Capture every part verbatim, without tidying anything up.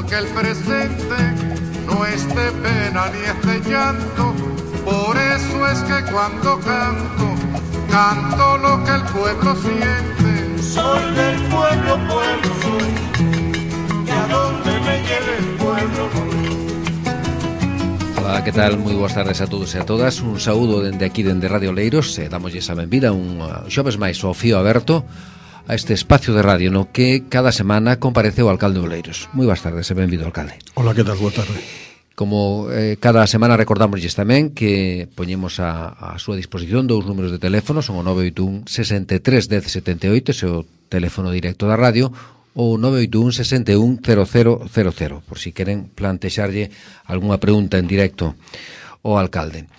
que el presente no es de pena ni es de llanto. Por eso es que cuando canto, canto lo que el pueblo siente. Soy del pueblo, pueblo soy, que a donde me lleve el pueblo voy. Ola, que tal? Moi boas tardes a todos e a todas. Un saúdo dende aquí, dende Radio Oleiros. E damoslle esa benvida un xoves máis ao fío aberto a este espacio de radio no que cada semana compareceu o alcalde de Oleiros. Moi boas tardes e benvido, alcalde. Ola, que tal? Boa tarde. Como eh, cada semana recordamosles tamén que poñemos a, a súa disposición dous números de teléfono, son o nove oito un, sesenta e tres, dez, setenta e oito, ese é o teléfono directo da radio, ou nove oito un, sesenta e un, cero cero cero cero, por si queren plantexarlle algunha pregunta en directo ao alcalde.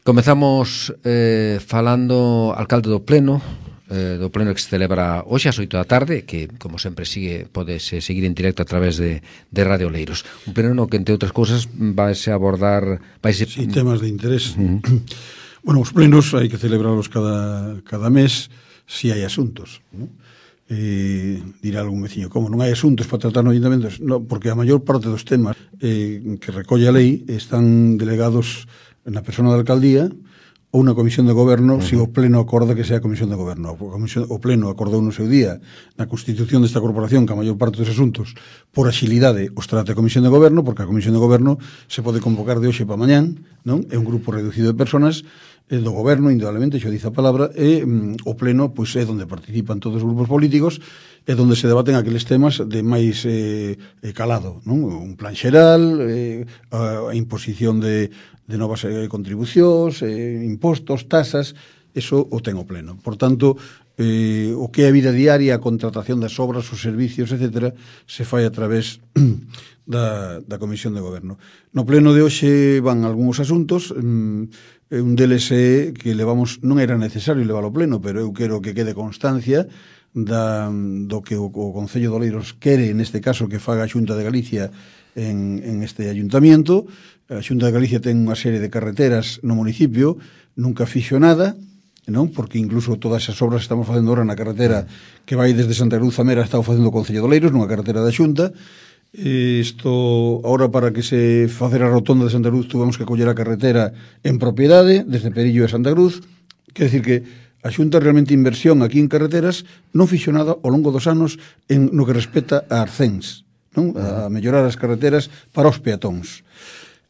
Comezamos eh, falando, alcalde do Pleno, eh, do Pleno que se celebra hoxe ás oito da tarde, que, como sempre, sigue podese seguir en directo a través de, de Radio Oleiros. Un pleno no que, entre outras cousas, vaise abordar... Vaise... Sí, temas de interés. Uh-huh. Bueno, os plenos hai que celebrarlos cada, cada mes si hai asuntos, ¿no? Eh, dirá algún veciño, como non hai asuntos para tratar no ayuntamentos? No, porque a maior parte dos temas eh, que recolle a lei están delegados na persona da alcaldía ou na comisión de goberno, uh-huh. se o pleno acorda que sea a comisión de goberno. O, comisión, o pleno acordou no seu día na constitución desta corporación que a maior parte dos asuntos por axilidade os trate a comisión de goberno, porque a comisión de goberno se pode convocar de hoxe para mañán, non? É un grupo reducido de personas eh, do goberno, indudablemente, xo dice a palabra, e mm, o pleno pois, é onde participan todos os grupos políticos, é onde se debaten aqueles temas de máis eh, calado, non? Un plan xeral, eh, a, a imposición de de novas eh, contribucións, eh, impostos, tasas, eso o ten o pleno. Por tanto, eh, o que é a vida diaria, a contratación das obras, os servicios, etcétera, se fai a través da, da Comisión de Goberno. No pleno de hoxe van algúns asuntos, mm, un deles é que levamos, non era necesario levar ao pleno, pero eu quero que quede constancia da, do que o, o Concello de Oleiros quere, neste caso, que faga a Xunta de Galicia en, en este ayuntamiento. A Xunta de Galicia ten unha serie de carreteras no municipio, nunca fixo nada, non? Porque incluso todas esas obras que estamos facendo ahora na carretera que vai desde Santa Cruz a Mera, estamos facendo o Concello de Oleiros, nunha carretera da Xunta. Isto, ahora para que se facer a rotonda de Santa Cruz tuvemos que coller a carretera en propiedade, desde Perillo a Santa Cruz. Quer decir que a Xunta realmente inversión aquí en carreteras non fixo nada ao longo dos anos en no que respecta a Arcens, non? A mellorar as carreteras para os peatóns.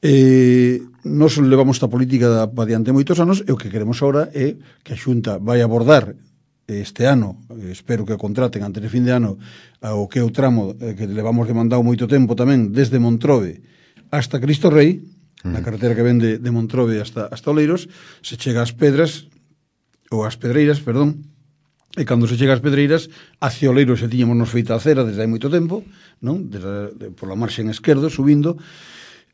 Eh, nos levamos esta política para diante moitos anos e o que queremos agora é que a Xunta vai abordar este ano, espero que o contraten antes de fin de ano, o que é o tramo que levamos demandado moito tempo tamén desde Montrove hasta Cristo Rei, uh-huh. na carretera que vende de Montrove hasta, hasta Oleiros, se chega ás Pedras ou ás Pedreiras, perdón, e cando se chega ás Pedreiras hacia Oleiros se tiñamos nos feita a cera desde hai moito tempo, non? Desde, de, por la marxen esquerdo, subindo.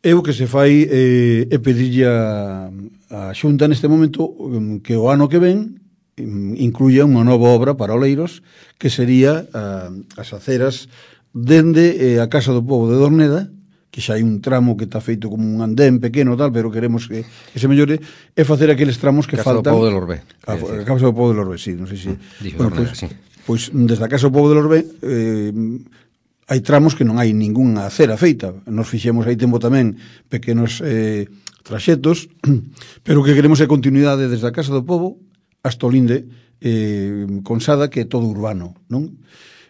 E o que se fai eh, é pedirlle a, a Xunta neste momento um, que o ano que ven um, incluya unha nova obra para Oleiros, que sería uh, as aceras dende eh, a Casa do Pobo de Dorneda, que xa hai un tramo que está feito como un andén pequeno tal, pero queremos que, que se mellore, e facer aqueles tramos que Casa faltan. Casa do Pobo de Lorbe. A, a Casa do Pobo de Lorbe, sí, non sei se... Dixo bueno, Dorneda, pues, sí. Pois desde a Casa do Pobo de Lorbe eh, hai tramos que non hai ningunha acera feita. Nos fixemos hai tempo tamén pequenos eh, traxetos, pero o que queremos é continuidade desde a Casa do Pobo hasta o Linde eh, Consada, que é todo urbano, non?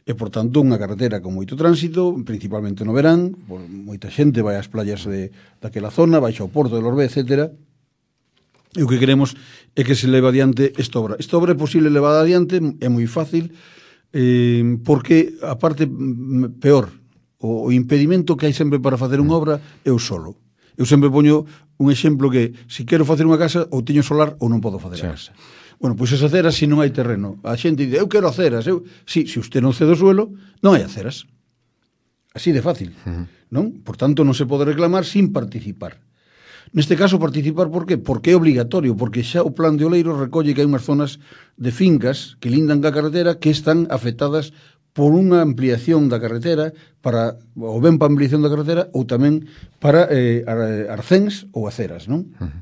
E, por tanto, unha carretera con moito tránsito, principalmente no verán, por moita xente vai ás playas de, daquela zona, vai ao Porto de Lorbe, etcétera. E o que queremos é que se leve adiante esta obra. Esta obra é posible levar adiante, é moi fácil, Eh, porque a parte peor, o, o impedimento que hai sempre para facer unha obra é o solo. Eu sempre poño un exemplo que se quero facer unha casa ou teño solar ou non podo facer sí. a casa. Bueno, pois esas aceras se non hai terreno. A xente dice, eu quero aceras. Eu... Si, se usted non cede o suelo, non hai aceras. Así de fácil. Uh-huh. Non? Por tanto, non se pode reclamar sin participar. Neste caso, participar, por qué? Porque é obligatorio, porque xa o plan de Oleiros recolle que hai unhas zonas de fincas que lindan ca carretera que están afectadas por unha ampliación da carretera, para ou ben para ampliación da carretera ou tamén para eh, arcéns ou aceras, non? Uh-huh.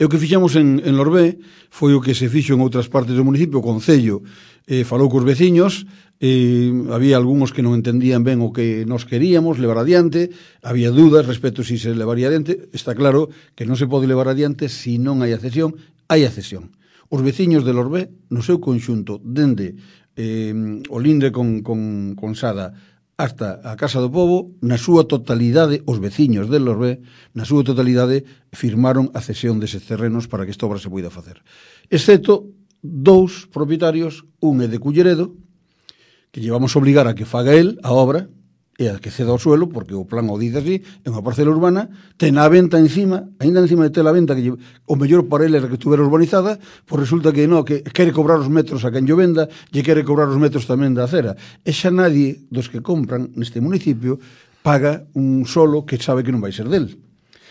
E o que fixamos en, en Lorbé foi o que se fixo en outras partes do municipio. O Concello eh, falou cos veciños, eh, había algúns que non entendían ben o que nos queríamos levar adiante, había dúdas respecto si se levaría adiante. Está claro que non se pode levar adiante se non hai accesión. Hai accesión. Os veciños de Lorbé, no seu conxunto, dende eh, o linde con, con, con Sada hasta a Casa do Pobo, na súa totalidade, os veciños de Lorbé, na súa totalidade, firmaron a cesión deses terrenos para que esta obra se poida facer. Excepto dous propietarios, un é de Culleredo, que llevamos a obligar a que faga el a obra, e a que ceda o suelo, porque o plan o dice así, é unha parcela urbana, ten a venta encima, ainda encima de ter a venta, que lle, o mellor para ele era que estuvera urbanizada, pois resulta que no, que quere cobrar os metros a quen lle venda, lle quere cobrar os metros tamén da acera. E xa nadie dos que compran neste municipio paga un solo que sabe que non vai ser del.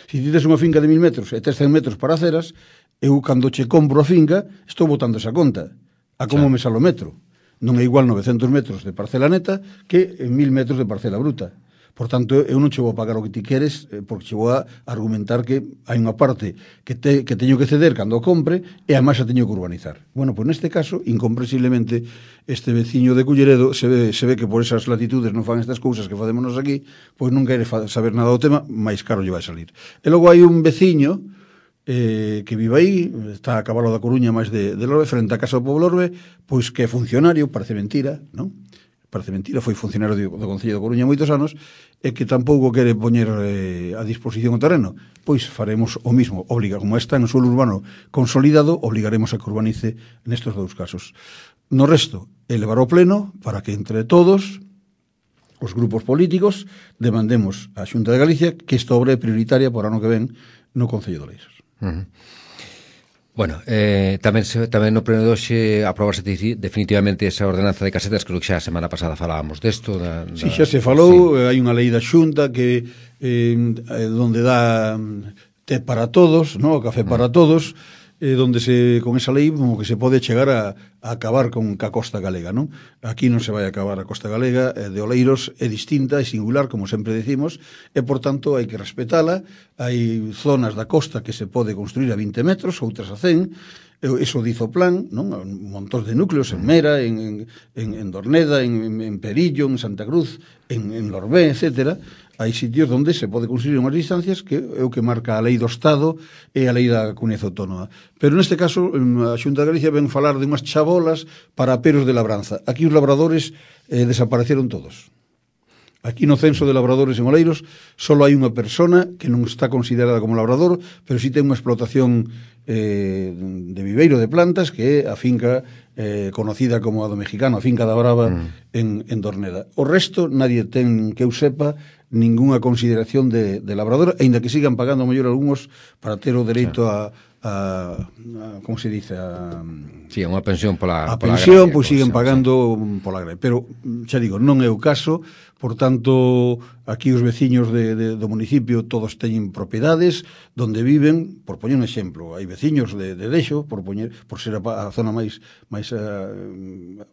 Se ti tes unha finca de mil metros e tes cen metros para aceras, eu cando che compro a finca, estou botando esa conta, a como me sale o metro. Non é igual novecentos metros de parcela neta que mil metros de parcela bruta. Por tanto, eu non che vou a pagar o que ti queres, porque che vou a argumentar que hai unha parte que, te, que teño que ceder cando o compre e a máis a teño que urbanizar. Bueno, pois neste caso, incomprensiblemente, este veciño de Culleredo se ve, se ve que por esas latitudes non fan estas cousas que facémonos aquí, pois non quere saber nada do tema, máis caro lle vai salir. E logo hai un veciño eh, que vive aí, está a cabalo da Coruña máis de, de Lorbe, frente á Casa do Pobo Lorbe, pois que é funcionario, parece mentira, non? Parece mentira, foi funcionario do, do Concello da Coruña moitos anos, e que tampouco quere poñer eh, a disposición o terreno. Pois faremos o mismo, obliga, como está en suelo urbano consolidado, obligaremos a que urbanice nestes dous casos. No resto, elevar ao pleno para que entre todos os grupos políticos demandemos á Xunta de Galicia que esta obra é prioritaria por ano que ven no Concello de Oleiros. Uh-huh. Bueno, eh, tamén se, tamén no pleno de hoxe aprobarse definitivamente esa ordenanza de casetas, creo que xa a semana pasada falábamos desto. Da, da... Si, xa se falou, sí. Hai unha lei da Xunta que eh, donde dá té para todos, no? O café para uh-huh. todos, eh, donde se con esa lei como que se pode chegar a, a acabar con ca costa galega, non? Aquí non se vai a acabar a costa galega, eh, de Oleiros é distinta, é singular, como sempre decimos, e por tanto hai que respetala. Hai zonas da costa que se pode construir a vinte metros, outras a cen, eso dizo o plan, non? Un montón de núcleos en Mera, en, en, en Dorneda, en, en Perillo, en Santa Cruz, en, en Lorbé, etcétera. Hai sitios onde se pode construir unhas distancias que é o que marca a lei do Estado e a lei da Comunidade Autónoma. Pero neste caso, a Xunta de Galicia ven falar de unhas chabolas para peros de labranza. Aquí os labradores eh, desapareceron todos. Aquí no censo de labradores en Oleiros só hai unha persona que non está considerada como labrador, pero sí ten unha explotación eh, de viveiro de plantas, que é a finca eh, conocida como a do Mexicano, a finca da Brava mm. en, en Dorneda. O resto, nadie ten, que eu sepa, ninguna consideración de, de labrador, aínda que sigan pagando a mellor algúns para ter o dereito a, a, a como se dice, a, sí, unha pensión pola, a pola pensión, agraria, pois siguen sí, pagando sí. pola agraria. Pero, xa digo, non é o caso. Por tanto, aquí os veciños de, de, do municipio todos teñen propiedades donde viven, por poñer un exemplo, hai veciños de, de Deixo, por poñer, por ser a, a zona máis máis uh,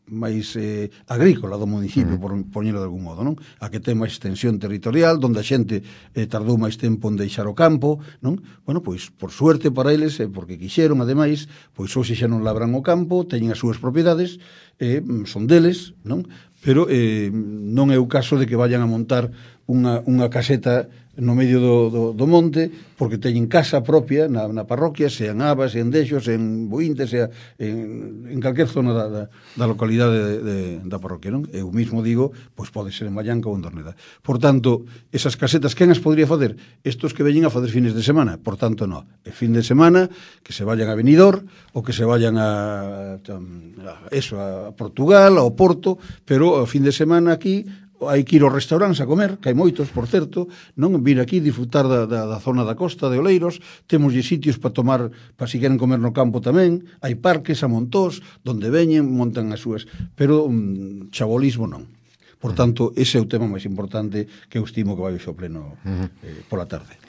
máis eh, agrícola do municipio, mm. por poñerlo de algún modo, non? A que ten máis extensión territorial, donde a xente eh, tardou máis tempo en deixar o campo, non? Bueno, pois, por suerte para eles, eh, porque quixeron, ademais, pois hoxe xa non labran o campo, teñen as súas propiedades, eh, son deles, non? Pero eh, non é o caso de que vayan a montar unha, unha caseta no medio do, do, do monte, porque teñen casa propia na, na parroquia, sean Abas, sean Deixos, en Boínte, sea en, en calquer zona da, da, da localidade de, de, da parroquia, non? Eu mismo digo, pois pode ser en Vallanca ou en Dorneda. Por tanto, esas casetas, quen as podría facer? Estos que veñen a facer fines de semana. Por tanto, no. El fin de semana, que se vayan a Benidorm, ou que se vayan a, a, a eso, a Portugal, ao Porto, pero o fin de semana aquí hai que ir aos restaurantes a comer, que hai moitos, por certo, non vir aquí disfrutar da, da, da zona da costa de Oleiros, temos sitios para tomar, para si queren comer no campo tamén, hai parques a montós, donde veñen, montan as súas, pero um, chabolismo non. Por tanto, ese é o tema máis importante que eu estimo que vai ao pleno eh, pola tarde.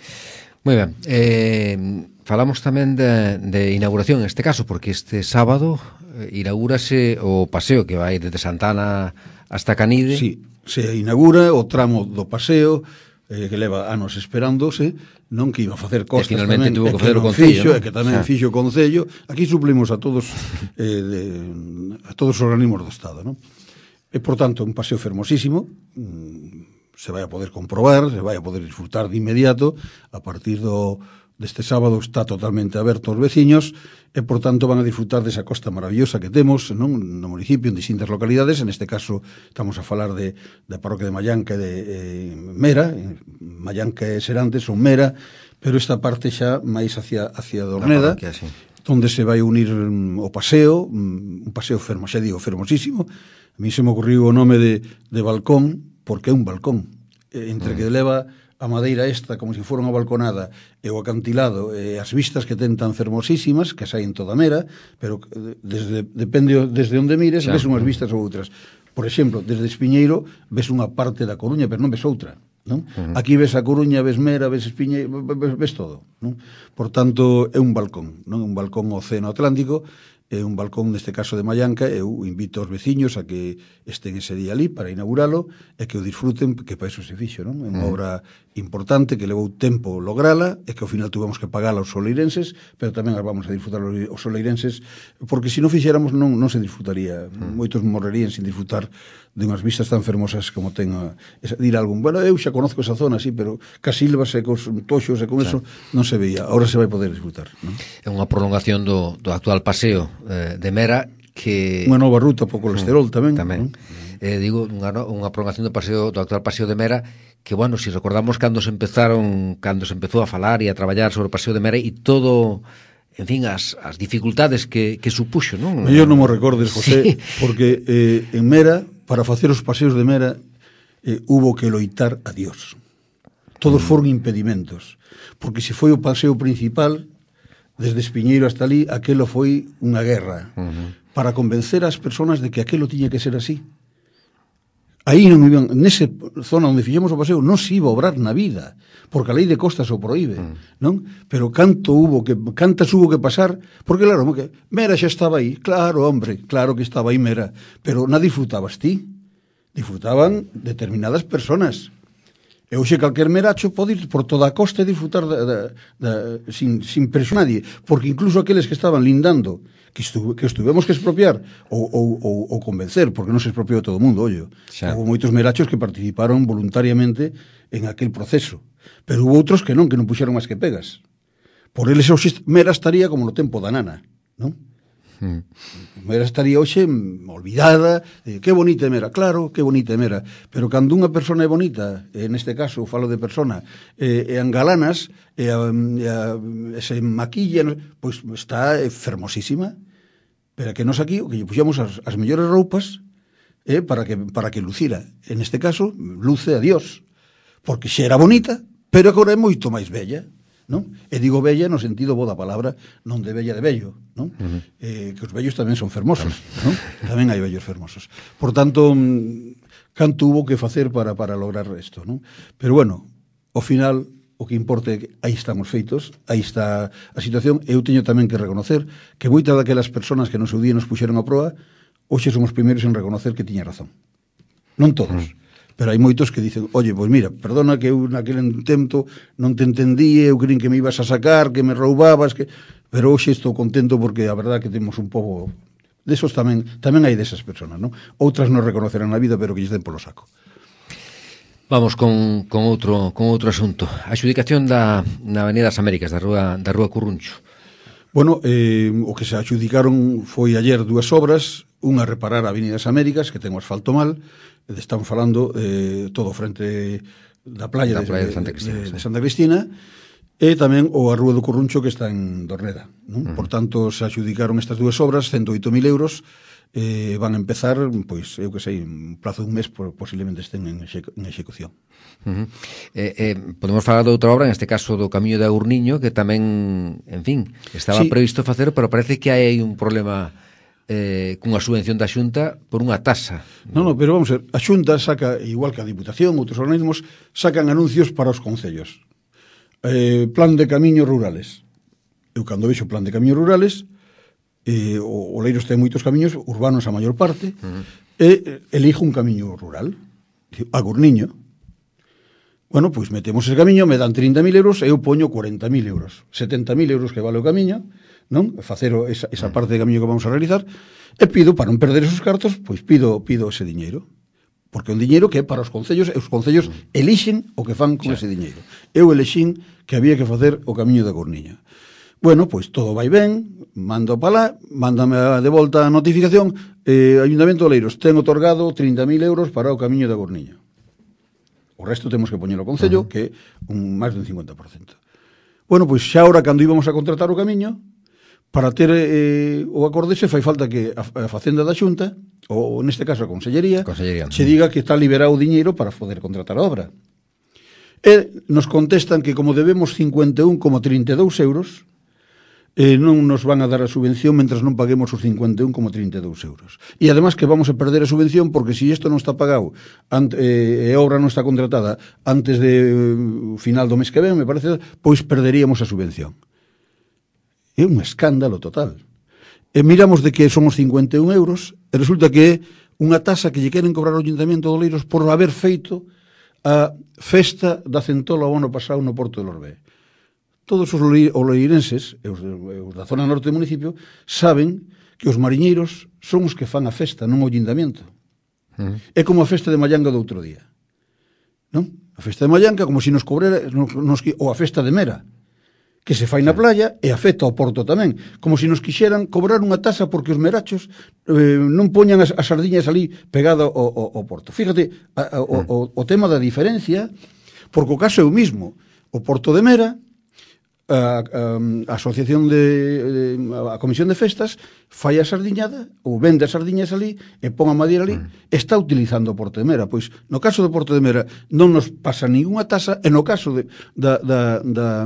Moi ben, eh, falamos tamén de, de inauguración en este caso, porque este sábado eh, inaugúrase o paseo que vai desde Santana hasta Canide. Sí, se inaugura o tramo do paseo eh, que leva anos esperándose, non que iba a facer costas e finalmente tamén, tuvo que facer o Concello, Concello, e que tamén xa. fixo o Concello. Aquí suplimos a todos eh, de, a todos os organismos do Estado, non? E, por tanto, un paseo fermosísimo, mmm, se vai a poder comprobar, se vai a poder disfrutar de inmediato. A partir do deste sábado está totalmente aberto aos veciños e, por tanto, van a disfrutar desa costa maravillosa que temos, non, no municipio, en distintas localidades. En este caso estamos a falar de, da parroquia de Mallanca e de eh, Mera. Mallanca e Serantes son Mera, pero esta parte xa máis hacia, hacia Dorneda, parroquia, sí, onde se vai unir um, o paseo, um, un paseo fermo, xa digo, fermosísimo. A mí se me ocurriu o nome de, de balcón, porque é un balcón, eh, entre mm. que leva a madeira esta como se fora unha balconada e o acantilado e as vistas que ten tan fermosísimas que saen toda Mera, pero desde, depende desde onde mires, xa, ves unhas vistas ou outras. Por exemplo, desde Espiñeiro ves unha parte da Coruña, pero non ves outra, non? Uh -huh. Aquí ves a Coruña, ves Mera, ves Espiñeiro, ves, ves todo, non? Por tanto, é un balcón, non? Un balcón ao Océano Atlántico, é un balcón neste caso de Mallanca. Eu invito aos veciños a que estén ese día ali para inauguralo e que o disfruten, que para eso se fixo, non? É unha obra importante que levou tempo lograla e que ao final tuvemos que pagala aos soleirenses, pero tamén as vamos a disfrutar os soleirenses, porque se non fixéramos non, non se disfrutaría. Mm. Moitos morrerían sin disfrutar de unhas vistas tan fermosas como ten a, esa, dir algún, bueno, eu xa conozco esa zona, sí, pero Casilvas e cos toxos e con eso non se veía. Ahora se vai poder disfrutar, non? É unha prolongación do, do actual paseo eh, de Mera, que unha nova ruta po colesterol mm, tamén, tamén. Eh, digo, unha, unha prolongación do paseo do actual paseo de Mera, que, bueno, si recordamos cando se empezaron, cando se empezou a falar e a traballar sobre o paseo de Mera e todo, en fin, as, as dificultades que, que supuxo, non? Eu non mo recordes, José, sí, porque eh, en Mera, para facer os paseos de Mera, eh, hubo que loitar a Dios. Todos mm. foron impedimentos, porque se foi o paseo principal, desde Espiñeiro hasta ali, aquelo foi unha guerra, uh -huh, para convencer as persoas de que aquelo tiña que ser así. Aí non iban, nese zona onde fixemos o paseo, non se iba a obrar na vida, porque a lei de costas o proíbe, mm. non? Pero canto hubo que, cantas hubo que pasar, porque claro, que Mera xa estaba aí, claro, hombre, claro que estaba aí Mera, pero non disfrutabas ti, disfrutaban determinadas personas. E hoxe calquer meracho pode ir por toda a costa e disfrutar da, da, da, sin, sin presionar nadie, porque incluso aqueles que estaban lindando, que, estu, que estuvemos que expropiar ou, ou, ou, ou convencer, porque non se expropiou todo o mundo, ollo. Houve moitos merachos que participaron voluntariamente en aquel proceso, pero hubo outros que non, que non puxeron máis que pegas. Por eles hoxe Mera estaría como no tempo da nana, non? Mm. Mera estaría hoxe olvidada, eh, que bonita é Mera, claro, que bonita é Mera, pero cando unha persona é bonita, eh, neste caso falo de persona, eh, e angalanas, e, a, e, a, e se maquilla, pois está eh, fermosísima, pero que nos aquí o que lle puxamos as, as mellores roupas eh, para, que, para que lucira. En este caso, luce a Dios, porque xa era bonita, pero agora é moito máis bella, non? E digo bella no sentido bo da palabra, non de bella de bello, non? Uh -huh. eh, que os bellos tamén son fermosos, non? Tamén hai bellos fermosos. Por tanto, canto hubo que facer para, para lograr isto, non? Pero bueno, ao final, o que importa é que aí estamos feitos, aí está a situación. Eu teño tamén que reconocer que moitas daquelas persoas que no seu día nos puxeron a proa, hoxe somos primeiros en reconocer que tiña razón. Non todos. Uh -huh. Pero hai moitos que dicen, oye, pois mira, perdona que eu naquele tempo non te entendí, eu creín que me ibas a sacar, que me roubabas, que... pero hoxe estou contento porque a verdad que temos un pobo... Desos tamén, tamén hai desas persoas, non? Outras non reconocerán na vida, pero que lles den polo saco. Vamos con, con, outro, con outro asunto. A adxudicación da, na Avenida das Américas, da rúa, da rúa Curruncho. Bueno, eh, o que se adxudicaron foi ayer dúas obras, unha reparar a Avenida das Américas, que ten o asfalto mal, están falando eh, todo frente da playa, da playa de, de, Santa Cristina, de, de Santa Cristina, e tamén o a Rúa do Curruncho, que está en Dorneda, non? Uh -huh. Por tanto, se adxudicaron estas dúas obras, ciento oito mil euros, eh, van a empezar, pois, eu que sei, en plazo de un mes, posiblemente estén en, exe, en execución. Uh -huh. eh, eh, podemos falar de outra obra, en este caso do Camiño de Agurniño, que tamén, en fin, estaba sí. previsto facer, pero parece que hai un problema... Eh, cunha subvención da Xunta por unha tasa. Non, non, pero vamos a ver, a Xunta saca, igual que a Diputación, outros organismos, sacan anuncios para os concellos. Eh, plan de camiños rurales. Eu cando vexo plan de camiños rurales, eh, o, o Leiros ten moitos camiños urbanos a maior parte, uh -huh. e elijo un camiño rural, Agurniño. Bueno, pois metemos ese camiño, me dan trinta mil euros e eu poño cuarenta mil euros. setenta mil euros que vale o camiño, non? Facer esa, esa parte de camiño que vamos a realizar, e pido, para non perder esos cartos, pois pido pido ese diñeiro. Porque é un diñeiro que é para os concellos, e os concellos elixen o que fan con ese diñeiro. Eu elixín que había que facer o camiño da Corniña. Bueno, pois todo vai ben, mando para lá, mándame de volta a notificación, eh, Ayuntamiento de Oleiros ten otorgado trinta mil euros para o camiño da Corniña. O resto temos que poñer o Concello, uh -huh. que é un, máis dun cincuenta por cento. Bueno, pois xa ahora, cando íbamos a contratar o camiño, para ter eh, o acorde se fai falta que a, a Facenda da Xunta, ou neste caso a Consellería, Consellería se diga que está liberado o diñeiro para poder contratar a obra. E nos contestan que como debemos cincuenta e un coma trinta e dous euros, eh, non nos van a dar a subvención mentras non paguemos os cincuenta e un coma trinta e dous euros. E además que vamos a perder a subvención porque se si isto non está pagado e eh, a obra non está contratada antes de eh, final do mes que ven, me parece, pois perderíamos a subvención. É un escándalo total. E miramos de que son os cincuenta e un euros e resulta que é unha tasa que lle queren cobrar ao Ayuntamiento de Oleiros por haber feito a festa da centola o ano pasado no Porto de Lorbé. Todos os oleirenses, e os, os da zona norte do municipio, saben que os mariñeiros son os que fan a festa, non o Ayuntamiento. Uh -huh. É como a festa de Mallanga do outro día. Non? A festa de Mallanga, como se si nos cobrera, nos, nos, ou a festa de Mera, que se fai na playa e afecta ao Porto tamén. Como se si nos quixeran cobrar unha tasa porque os merachos eh, non poñan as, as sardiñas ali pegado ao, ao, ao Porto. Fíjate, a, a, o, o, o tema da diferencia, porque o caso é o mismo. O Porto de Mera, a, a, a asociación de, de a comisión de festas fai a sardiñada ou vende as sardiñas ali e pon a madeira ali, mm. está utilizando o Porto de Mera. Pois no caso do Porto de Mera non nos pasa ninguna tasa, e no caso de, da, da, da,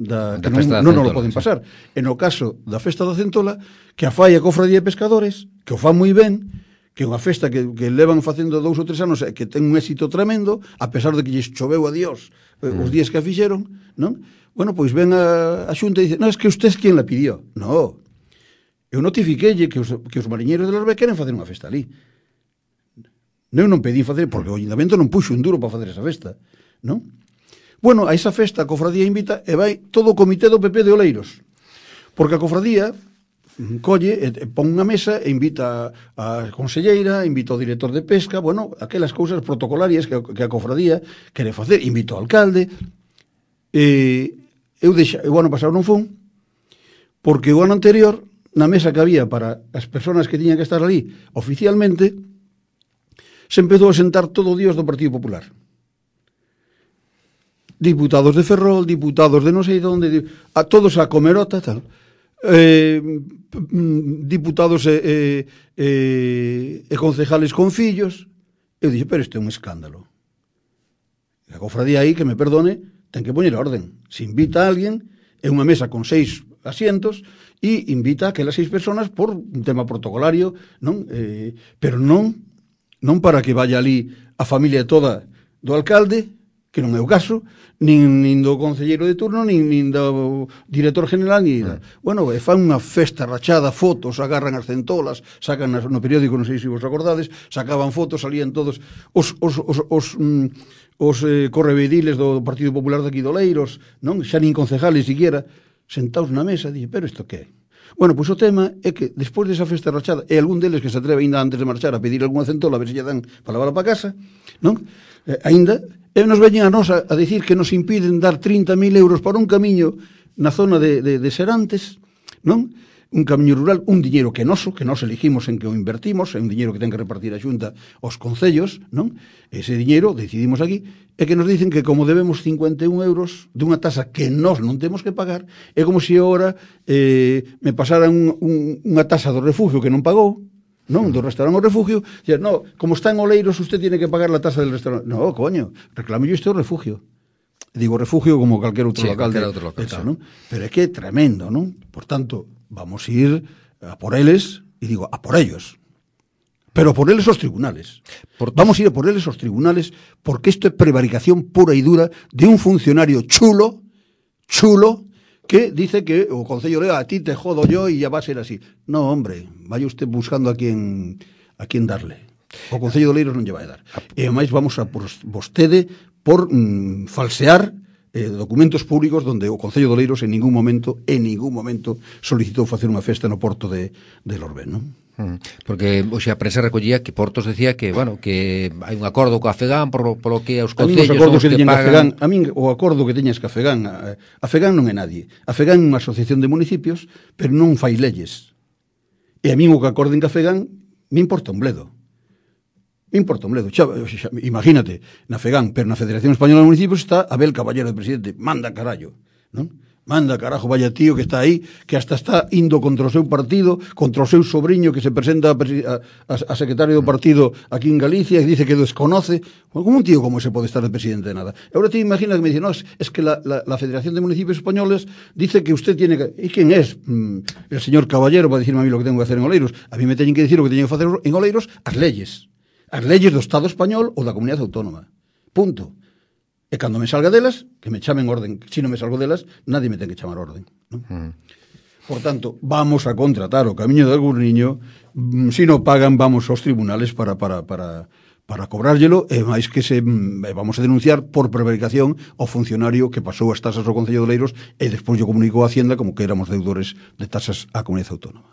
da, da que non, non nos lo poden pasar, e no caso da festa da Centola, que a fai a Cofradía de Pescadores, que o fan moi ben, que é unha festa que, que levan facendo dous ou tres anos e que ten un éxito tremendo, a pesar de que lles choveu a Dios mm. os días que a fixeron, non? Bueno, pois ven a, a Xunta e dice, no, es que usted es quien la pidió. No, eu notifiquelle que os, que os mariñeiros de Lorbé queren facer unha festa ali. Eu non pedí facer, porque o Ayuntamiento non puxo un duro para facer esa festa, non? Bueno, a esa festa a Cofradía invita e vai todo o comité do P P de Oleiros, porque a Cofradía colle e pon unha mesa e invita a conselleira, invita ao director de pesca, bueno, aquelas cousas protocolarias que, que a Cofradía quere facer, invita ao alcalde. E eu deixa, o ano pasado non fun, porque o ano anterior, na mesa que había para as persoas que tiñan que estar ali oficialmente, se empezou a sentar todo o Dios do Partido Popular. Diputados de Ferrol, diputados de non sei onde, a todos a comerota, tal. Eh, diputados e, e, e, e concejales con fillos. Eu dixo, pero isto é un escándalo. A cofradía aí, que me perdone, ten que poñer orden. Se invita a alguén, é unha mesa con seis asientos, e invita a aquelas seis personas por un tema protocolario, non? Eh, pero non non para que vaya ali a familia toda do alcalde, que non é o caso, nin, nin do concelleiro de turno, nin, nin do director general, nin... Mm. Bueno, e fan unha festa rachada, fotos, agarran as centolas, sacan no periódico, non sei se vos acordades, sacaban fotos, salían todos os... os, os, os mm, os eh, correveidiles do Partido Popular de aquí de Oleiros, non? Xa nin concejales siquiera, sentados na mesa, dixen, pero isto que é? Bueno, pois o tema é que despois desa festa rachada, e algún deles que se atreve ainda antes de marchar a pedir algunha centola, a ver se lle dan para levarla para casa, non? Eh, ainda, e nos veñen a nos a, a dicir que nos impiden dar trinta mil euros para un camiño na zona de, de, de Serantes, non? Un camiño rural, un diñeiro que noso, que nós elegimos en que o invertimos, é un diñeiro que ten que repartir a Xunta aos concellos, non? Ese diñeiro, decidimos aquí, é que nos dicen que como debemos cincuenta e un euros dunha tasa que nós non temos que pagar, é como se agora eh, me pasaran un, un, unha tasa do refugio que non pagou, non? Do restaurante ao refugio, e no, como está en Oleiros, usted tiene que pagar la tasa del restaurante. No, coño, reclamo yo este o refugio. Digo refugio como calquer outro sí, local, calquer de, outro local, de tal, sí. ¿no? Pero é que é tremendo, non? Por tanto, vamos a ir a por eles, e digo, a por ellos. Pero por eles os tribunales. Por vamos a ir a por eles os tribunales, porque isto é prevaricación pura e dura de un funcionario chulo, chulo, que dice que o Concello le a ti te jodo yo e ya va a ser así. No, hombre, vaya usted buscando a quien, a quien darle. O Concello de Oleiros non lle vai dar. E máis vamos a por vostede por mm, falsear eh, documentos públicos donde o Concello de Oleiros en ningún momento, en ningún momento solicitou facer unha festa no porto de, de Lorbén, non? Porque hoxe a prensa recollía que Portos decía que, bueno, que hai un acordo co Afegán por, por lo que os concellos son os que, que pagan... Afegán, a min o acordo que teñas que Afegán, a, Afegán non é nadie. Afegán é unha asociación de municipios, pero non fai leyes. E a min o que acorden que Afegán me importa un bledo. Me importa un bledo. Xa, xa, imagínate, na Afegán, pero na Federación Española de Municipios está Abel Caballero de presidente. Manda carallo, non? Manda carajo, vaya tío que está aí, que hasta está indo contra o seu partido, contra o seu sobrinho que se presenta a, a, a secretario do partido aquí en Galicia e dice que desconoce. Como un tío como ese pode estar de presidente de nada? E agora te imaginas que me dice, no, es, es que la, la, la Federación de Municipios Españoles dice que usted tiene que... ¿Y quién es? Mm, el señor Caballero para decirme a mí lo que tengo que hacer en Oleiros. A mí me teñen que decir o que teño que facer en Oleiros as leyes. As leyes do Estado español ou da comunidade autónoma. Punto. E cando me salga delas, que me chamen orden. Se non me salgo delas, nadie me ten que chamar orden, non? Mm. Por tanto, vamos a contratar o Camiño de Agurniño, mm, se non pagan, vamos aos tribunales para para para para cobrárllelo, e máis que se mm, vamos a denunciar por prevaricación ao funcionario que pasou as tasas ao Concello de Oleiros e despois yo comunicou a Hacienda como que éramos deudores de tasas á comunidade autónoma.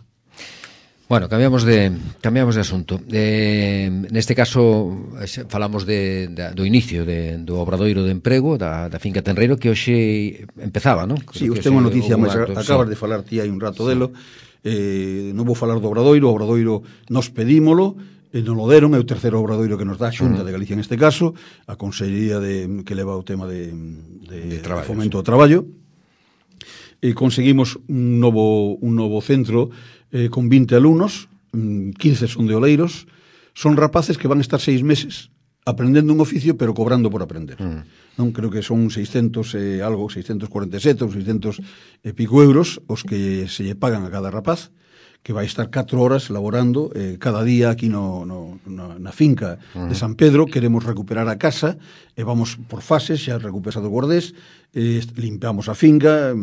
Bueno, cambiamos de cambiamos de asunto. Eh, neste caso falamos de, de do inicio de, do obradoiro de emprego da, da finca Tenreiro que hoxe empezaba, non? Si, sí, usted unha noticia máis acabas sí. de falar ti hai un rato sí. delo. Eh, non vou falar do obradoiro, o obradoiro nos pedímolo, e non lo deron, é o terceiro obradoiro que nos dá a Xunta uh -huh. de Galicia neste caso, a Consellería de que leva o tema de, de, de traballo, fomento sí. ao traballo. E conseguimos un novo un novo centro eh, con vinte alumnos, quince son de Oleiros, son rapaces que van a estar seis meses aprendendo un oficio, pero cobrando por aprender. Mm. Non creo que son seiscentos eh, algo, seiscentos cuarenta e sete ou seiscentos e pico euros os que se lle pagan a cada rapaz, que vai estar catro horas laborando eh, cada día aquí no, no, na, na finca uh-huh. de San Pedro. Queremos recuperar a casa e vamos por fases, xa recuperado o Guardés, eh, limpiamos a finca,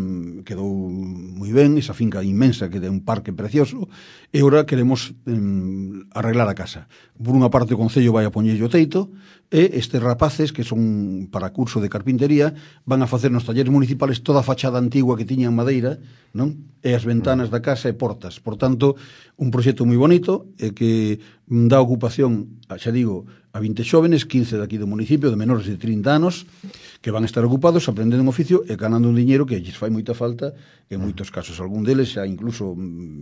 quedou moi ben, esa finca inmensa que é un parque precioso, e agora queremos eh, arreglar a casa. Por unha parte o Concello vai a poñerlle o teito, e estes rapaces que son para curso de carpintería van a facer nos talleres municipales toda a fachada antigua que tiña en madeira, non? E as ventanas da casa e portas. Por tanto, un proxecto moi bonito e que dá ocupación, xa digo, a vinte xóvenes, quince daqui do municipio, de menores de trinta anos, que van a estar ocupados aprendendo un oficio e ganando un diñeiro que lles fai moita falta, en moitos casos algún deles xa incluso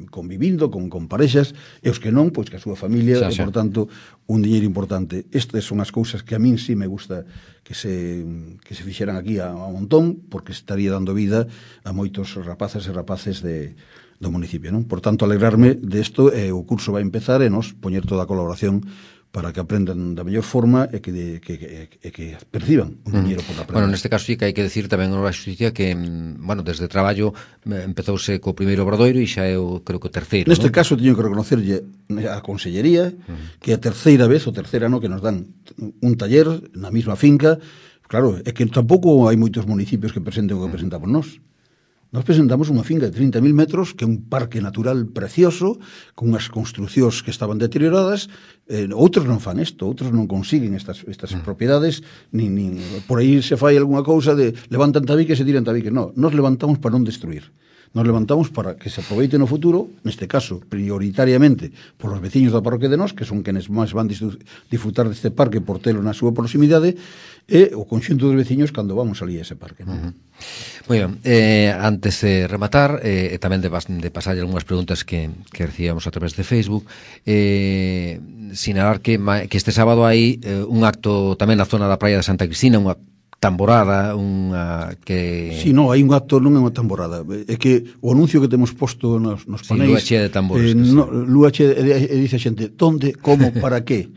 convivindo con, con parexas, e os que non, pois que a súa familia, xa, xa. E por tanto un diñeiro importante. Estas son as cousas que a min sí me gusta que se que se fixeran aquí a, a montón, porque estaría dando vida a moitos rapazas e rapaces de do municipio, non? Por tanto, alegrarme desto, e o curso vai empezar e nos poñer toda a colaboración para que aprendan da mellor forma e que, de, que, que, que, que perciban un diñeiro por aprender. Bueno, neste caso sí que hai que decir tamén a xusticia que, bueno, desde traballo empezouse co primeiro obradoiro e xa é o, creo que o terceiro. Neste ¿no? caso teño que reconocerlle a Consellería uh-huh. que a terceira vez, o terceira ano, que nos dan un taller na mesma finca. Claro, é que tampouco hai moitos municipios que presenten o que presentamos nós. Nos presentamos unha finca de trinta mil metros, que é un parque natural precioso, con unhas construcións que estaban deterioradas. Eh, outros non fan isto, outros non consiguen estas, estas mm. propiedades, nin, nin, por aí se fai algunha cousa de levantan tabiques e tiran tabiques. No, nos levantamos para non destruir. Nos levantamos para que se aproveite no futuro, neste caso, prioritariamente, por os veciños da parroquia de Nós, que son quenes máis van disfrutar deste parque por telo na súa proximidade, e o conxunto dos veciños cando vamos ali a ese parque. ¿No? Uh-huh. Moi ben, eh, antes de rematar, eh, e tamén de, de pasar algunhas preguntas que, que recibíamos a través de Facebook, eh, sinalar que, que este sábado hai eh, un acto tamén na zona da praia de Santa Cristina, unha tamborada, unha que... Si, non, hai un acto, non é unha tamborada. É que o anuncio que temos posto nos, nos panéis... Sí, lúa chea de tambores. Eh, no, lúa chea, e, e dice a xente, onde, como, para que?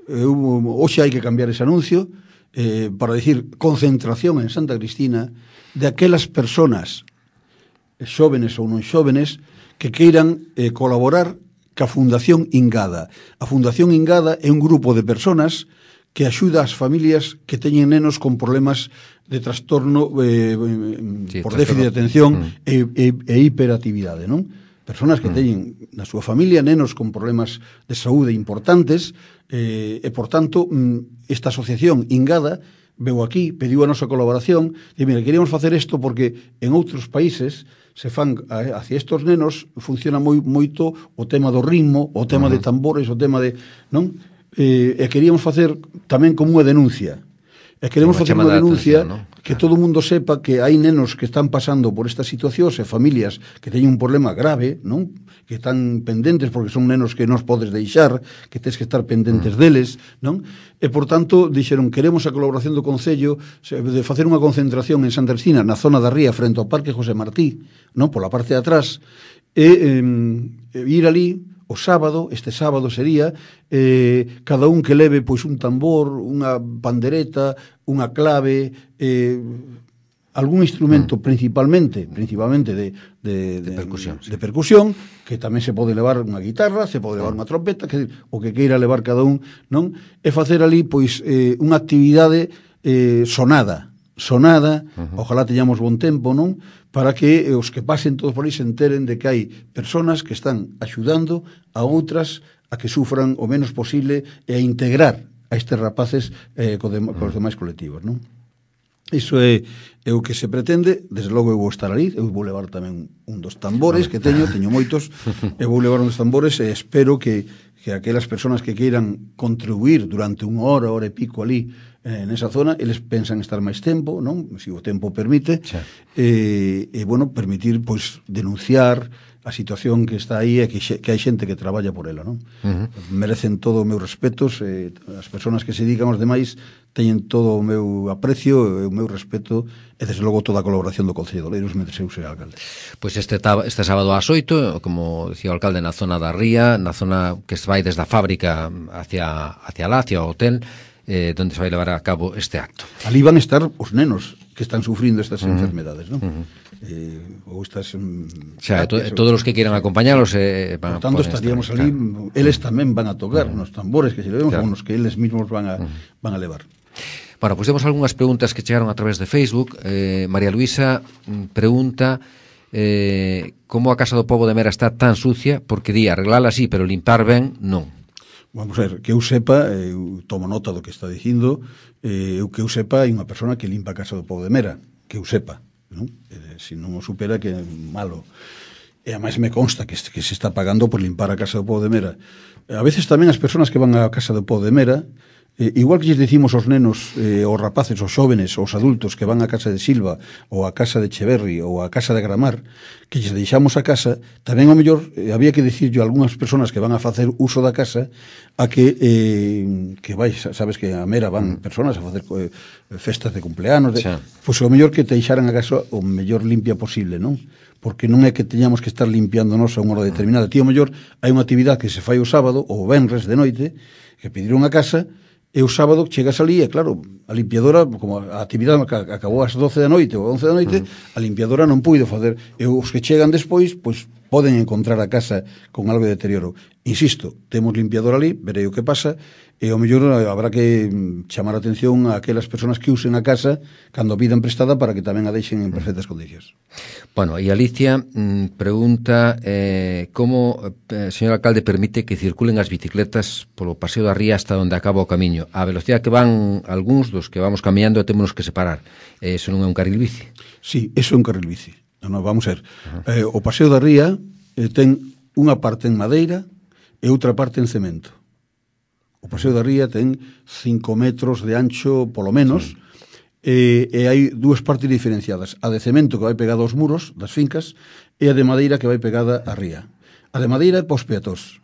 Eh, hoxe hai que cambiar ese anuncio eh, para decir concentración en Santa Cristina de aquelas personas, xóvenes ou non xóvenes, que queiran eh, colaborar ca Fundación Ingada. A Fundación Ingada é un grupo de personas que axuda as familias que teñen nenos con problemas de trastorno eh, sí, por déficit de atención mm. e, e, e hiperactividade, non? Personas que mm. teñen na súa familia nenos con problemas de saúde importantes eh, e, por tanto, esta asociación Ingada veu aquí, pediu a nosa colaboración, e mira, queríamos facer isto porque en outros países se fan hacia estos nenos funciona moi moito o tema do ritmo, o tema uh-huh. de tambores, o tema de, non? Eh, e queríamos facer tamén como unha denuncia. E queremos facer unha denuncia, atención, ¿no? Que todo o mundo sepa que hai nenos que están pasando por estas situacións e familias que teñen un problema grave, non? Que están pendentes porque son nenos que non podes deixar, que tens que estar pendentes mm. deles, non? E, por tanto, dixeron, queremos a colaboración do Concello de facer unha concentración en Santa Cristina, na zona da Ría, frente ao Parque José Martí, non? Pola parte de atrás, e eh, ir ali o sábado, este sábado sería, eh, cada un que leve pois un tambor, unha pandereta, unha clave, eh, algún instrumento mm. principalmente, principalmente de, de, de, de, percusión, de sí. percusión, que tamén se pode levar unha guitarra, se pode levar unha trompeta, que, o que queira levar cada un, non? E facer ali pois eh, unha actividade eh, sonada, sonada, uh-huh. ojalá teñamos bon tempo, non? Para que os que pasen todos por aí se enteren de que hai personas que están axudando a outras a que sufran o menos posible e a integrar a estes rapaces eh, co de, uh-huh. cos demais colectivos, non? Iso é, é o que se pretende. Desde logo eu vou estar ali, eu vou levar tamén un dos tambores que teño, teño moitos, e vou levar un dos tambores e espero que, que aquelas personas que queiran contribuir durante unha hora, hora e pico ali eh, nesa zona, eles pensan estar máis tempo, non? Se o tempo permite, sí. e, e, bueno, permitir, pois, denunciar a situación que está aí e que, que hai xente que traballa por ela, non? Uh-huh. Merecen todo o meu respetos, eh, as persoas que se dedican aos demais teñen todo o meu aprecio e o meu respeto e, desde logo, toda a colaboración do Concello de Oleiros mentre eu sea alcalde. Pois este, este sábado ás oito, como dicía o alcalde, na zona da Ría, na zona que se vai desde a fábrica hacia, hacia lá, hacia o hotel, eh, onde se vai levar a cabo este acto. Ali van a estar os nenos que están sufrindo estas uh-huh. enfermedades, non? Uh-huh. Eh, ou estas um, xa, to, todos os que quieran acompañarlos eh, van, por tanto estaríamos estar, ali, claro. Eles tamén van a tocar uh-huh. nos tambores que se levemos, claro. Ou nos que eles mismos van a, uh-huh. van a levar. Bueno, pois pues temos algunhas preguntas que chegaron a través de Facebook. eh, María Luisa pregunta eh, como a Casa do Pobo de Mera está tan sucia, porque di arreglala así, pero limpar ben, non. Vamos a ver, que eu sepa, eu tomo nota do que está dicindo, eh, eu que eu sepa, hai unha persona que limpa a Casa do Pobo de Mera, que eu sepa, non? Eh, se non o supera, que é malo. E ademais me consta que, que se está pagando por limpar a Casa do Pobo de Mera. A veces tamén as persoas que van á Casa do Pobo de Mera, eh, igual que lles dicimos aos nenos, eh, aos rapaces, aos xóvenes, aos adultos que van á Casa de Silva, ou á Casa de Echeverri, ou á Casa de Gramar, que lles deixamos a casa, tamén ao mellor eh, había que dicirlo a algunhas persoas que van a facer uso da casa, a que eh, que vai, sabes que a Mera van persoas a facer eh, festas de cumpleanos, de, pois ao mellor que te deixaran a casa o mellor limpia posible, non? Porque non é que teñamos que estar limpiando nos a unha hora determinada. Tío, ao mellor hai unha actividade que se fai o sábado ou o venres de noite, que pediron a casa, e o sábado chegas ali e, claro, a limpiadora, como a actividade acabou ás doce da noite ou once da noite, uh-huh. a limpiadora non puido facer. E os que chegan despois, pois, poden encontrar a casa con algo de deterioro. Insisto, temos limpiador ali, verei o que pasa, e ao mellor habrá que chamar a atención a aquelas persoas que usen a casa cando a pidan prestada para que tamén a deixen en perfectas condicións. Bueno, e Alicia mmm, pregunta eh, como, eh, señor alcalde, permite que circulen as bicicletas polo Paseo da Ría hasta onde acaba o camiño. A velocidade que van algúns dos que vamos camiñando temos que separar. Eh, eso non é un carril bici? Sí, eso é un carril bici. Non, non, vamos a ver. Uh-huh. Eh, o Paseo da Ría eh, ten unha parte en madeira e outra parte en cemento. O Paseo da Ría ten cinco metros de ancho, polo menos, sí. e, e hai dúas partes diferenciadas. A de cemento, que vai pegada aos muros das fincas, e a de madeira, que vai pegada á ría. A de madeira é para os peatós,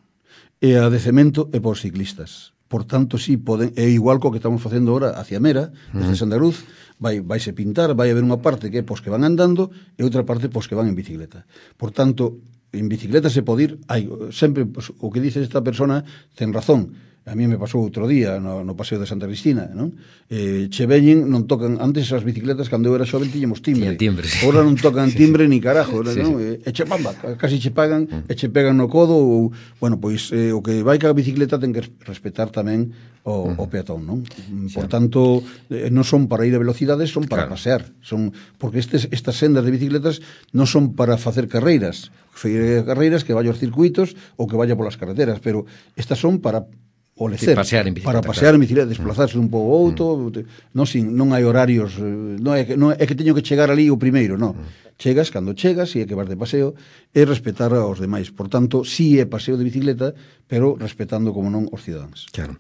e a de cemento é para os ciclistas. Por tanto, sí, poden, é igual co que estamos facendo agora hacia Mera, desde uh-huh. Santa Cruz, vai, vaise pintar, vai haber unha parte que é pos que van andando e outra parte pos que van en bicicleta. Por tanto, en bicicleta se pode ir, hai, sempre, pues, o que dice esta persona ten razón. A mí me pasou outro día no, no Paseo de Santa Cristina, non? Eh, che veñen, non tocan, antes as bicicletas cando eu era xoven tiñamos timbre. timbre sí. Agora non tocan timbre sí, ni carajo, sí, non? Sí. E che pamba, casi che pagan, mm. e che pegan no codo ou, bueno, pois eh, o que vai ca bicicleta ten que respetar tamén o, mm. o peatón, non? Por sí. tanto, eh, non son para ir a velocidades, son para claro. pasear, son porque estes, estas sendas de bicicletas non son para facer carreiras, carreiras que vaya aos circuitos ou que vaya polas carreteras, pero estas son para o lecer, sí, pasear en bicicleta, para pasear claro. en bicicleta, desplazarse dun pouco ou outro, mm. non, sin, non hai horarios, non é, que, non é que teño que chegar ali o primeiro, non. Mm. Chegas cando chegas, e é que vas de paseo, e respetar aos demais. Por tanto, si é paseo de bicicleta, pero respetando, como non, os cidadáns. Claro.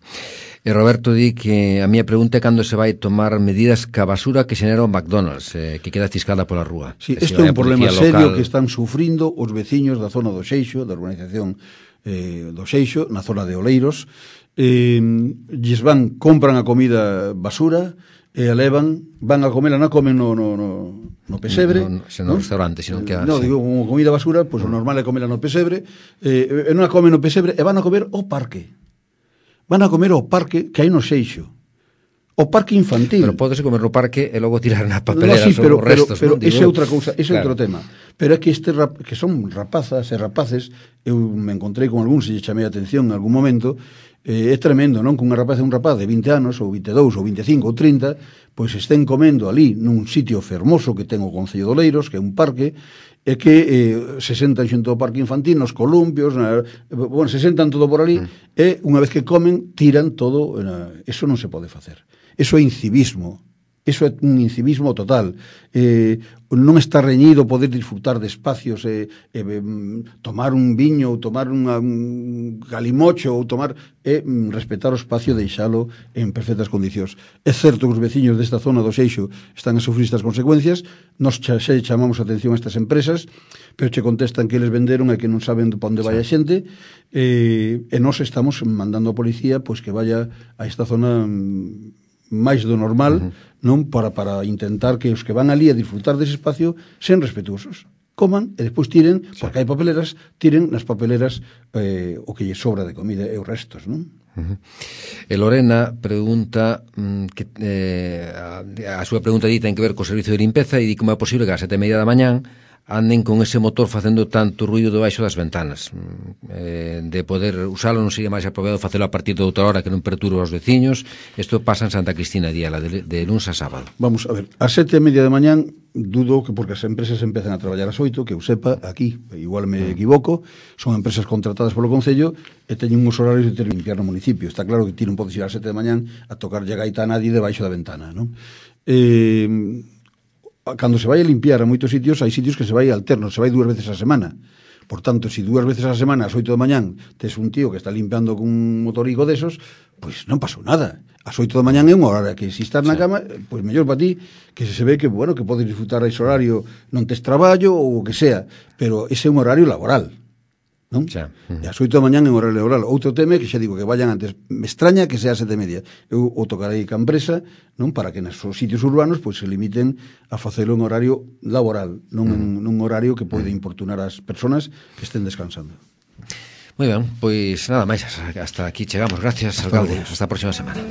E Roberto di que a miña pregunta é cando se vai tomar medidas ca basura que xenera o McDonald's, eh, que queda ciscada pola rúa. Sí, que isto é un problema serio local... que están sufrindo os veciños da zona do Seixo, da urbanización eh, do Seixo, na zona de Oleiros. Eh, lles van, compran a comida basura e a levan, van a comer, non a comen no, no, no, no pesebre, no, no, no, no restaurante, sino que no, sí. digo, como comida basura, pois pues, o normal é comela no pesebre, eh, e non a comen no pesebre e van a comer ao parque. Van a comer ao parque que hai no Seixo. O parque infantil. Pero pódese comer no parque e logo tirar na papelera no, sí, pero, os restos, pero, pero non? Digo, ese é outra cousa, ese é claro. outro tema. Pero é que este rap, que son rapazas e rapaces, eu me encontrei con algúns e chamei a atención en algún momento, eh, é tremendo, non? Que unha rapaz e un rapaz de vinte anos, ou vinte e dous, ou vinte e cinco, ou trinta, pois estén comendo ali nun sitio fermoso que ten o Concello de Oleiros, que é un parque, e que eh, se sentan xunto ao parque infantil, nos columpios, na, bueno, se sentan todo por ali, mm. e unha vez que comen, tiran todo, na, eso non se pode facer. Eso é incivismo. Eso é un incivismo total. Eh, non está reñido poder disfrutar de espacios, eh, eh, tomar un viño, ou tomar unha, un galimocho, ou tomar e eh, respetar o espacio, deixalo en perfectas condicións. É certo que os veciños desta zona do Seixo están a sufrir estas consecuencias, nos xa chamamos a atención a estas empresas, pero che contestan que eles venderon e que non saben para onde vai a xente, eh, e nós estamos mandando a policía pois que vaya a esta zona máis do normal, uh-huh. non para, para intentar que os que van ali a disfrutar dese espacio sean respetuosos, coman e despois tiren, sí. porque hai papeleras, tiren nas papeleras eh, o que lle sobra de comida e os restos, non? Uh-huh. E Lorena pregunta mm, que, eh, a, a súa pregunta di ten que ver co servicio de limpeza e di como é posible que a sete e media da mañán anden con ese motor facendo tanto ruido debaixo das ventanas, eh, de poder usalo non sería máis apropiado facelo a partir de outra hora que non perturbe aos veciños. Isto pasa en Santa Cristina Diala de, de luns a sábado. Vamos a ver, a sete e media de mañán dudo que porque as empresas empezan a traballar ás oito, que eu sepa, aquí, igual me equivoco, son empresas contratadas polo Concello e teñen uns horarios de ter limpiar no municipio. Está claro que ti non podes ir a sete de mañán a tocarlle a gaita a nadie debaixo da ventana, non? Eh... Cando se vai a limpiar a moitos sitios, hai sitios que se vai alterno, se vai dúas veces a semana. Por tanto, se si dúas veces a semana, ás oito da mañán, tes un tío que está limpiando con un motorico desos, pois non pasou nada. Ás oito da mañán é unha hora que se estás na cama, pois mellor para ti, que se ve que, bueno, que podes disfrutar ese horario, non tes traballo ou o que sea, pero ese é un horario laboral. Non? Xa. Uh-huh. E as oito da mañán en horario laboral. Outro tema que xa digo que vayan antes. Me extraña que sea a sete e media. Eu o tocarei ca empresa, non, para que nos sitios urbanos pois se limiten a facelo en horario laboral, non uh-huh. en un horario que pode importunar as persoas que estén descansando. Moi ben, pois nada máis, hasta aquí chegamos. Gracias, alcalde. Hasta a próxima semana.